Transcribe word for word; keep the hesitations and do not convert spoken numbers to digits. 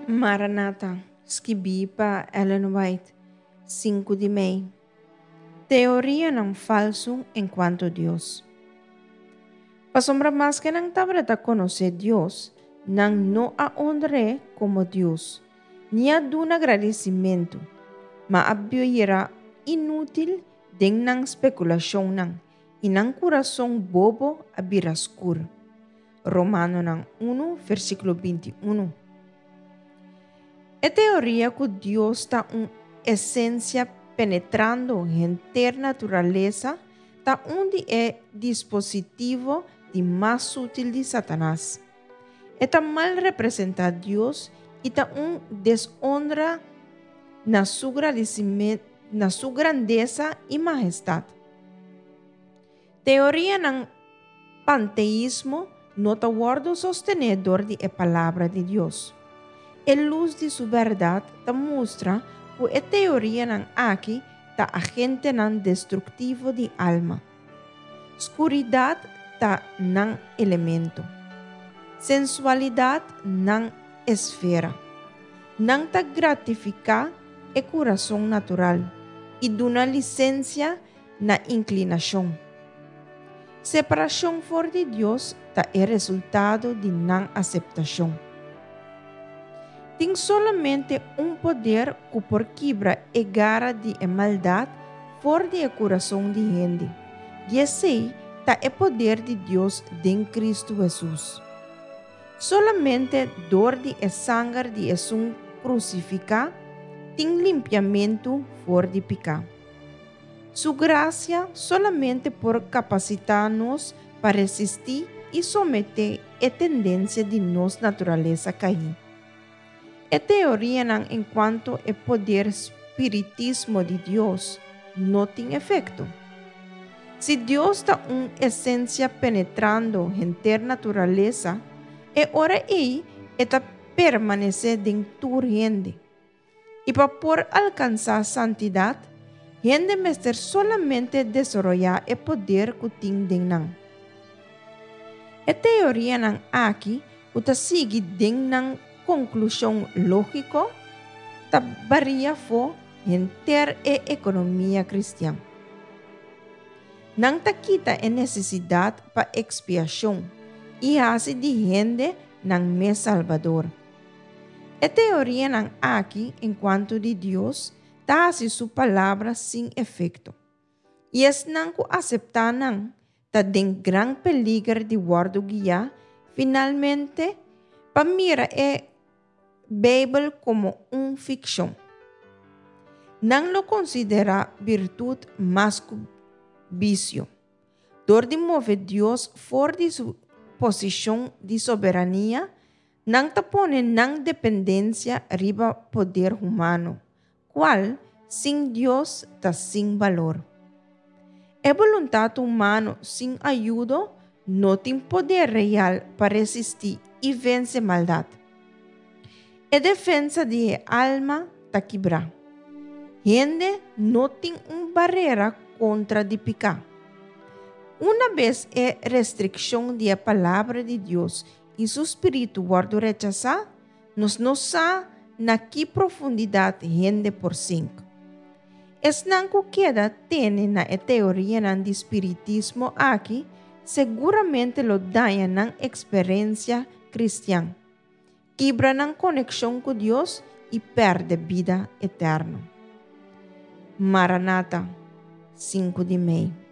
Maranata, skibí pa Ellen White, sinku di mei. Teorianan falsu enkuanto Dios. Pasobra maske nan tabata konosé Dios, nan no a honr'é komo Dios, ni a duna gradisimentu, ma a bira inútil den nan spekulashonnan, i nan kurason bobo a bira skur. Romanonan un, versíkulo binti un. E teoria ku Dios ta un esensia penetrando henter naturalesa ta un di e dispositivo di mas sutil di Satanas. E ta mal representá Dios i ta un deshonra na su na su grandesa i mahestat. Teorianan panteismo no ta wòrdu sostené dor di e Palabra di Dios. E lus di su bèrdat ta mustra ku e teorianan aki ta agentenan destruktivo di alma. Skuridat ta nan elemento. Sensualidat nan esfera. Nan ta gratifiká e kurason natural i duna lisensia na inklinashon. Separashon for di Dios ta e resultado di nan aseptashon. Tin solamente un poder ku por kibra e gara di e maldat for di e kurason di hende, i esei ta e poder di Dios den Kristu Hesus. Solamente dor di e sanger di Esun krusifiká tin limpiamentu for di piká. Su grasia solamente por kapasitá nos pa resistí i someté e tendensia di nos naturalesa kaí. E teorianan enkuanto e poder spiritismo di Dios no tin efekto. Si Dios ta un esensia penetrando henter naturalesa, e ora ei e ta permanesé den tur hende. I pa por alkansá santidat, hende mester solamente desaroyá e poder ku tin den nan. E teorianan aki, ku ta sigui den nan konklushon lógiko, ta bari afó henter e ekonomia kristian. Nan ta kita e nesesidat pa ekspiashon i hasi di hende nan mes salbador. E teorianan aki enkuanto di Dios ta hasi su palabra sin efekto. I esnan ku aseptá nan ta den gran peliger di wòrdu guiá finalmente pa mira e Beibel komo un fikshon. Nan lo konsiderá birtut mas ku bisio. Dor di move Dios for di su posishon di soberania, nan ta pone nan dependensia riba poder humano, kual sin Dios ta sin balor. E boluntat humano sin ayudo no tin poder real pa resistí i vense maldat. E defensa di e alma ta kibrá. Hende no tin un barera kontra di piká. Unabes e restrikshon di e Palabra di Dios i su Spiritu wòrdu rechasá, nos no sa na ki profundidat hende por sink. Esnan ku keda tene na e teorianan di spiritismo aki seguramente lo daña nan eksperensia kristian, kibra nan konekshon ku Dios i pèrdè bida eterno. Maranata, sinku di mei.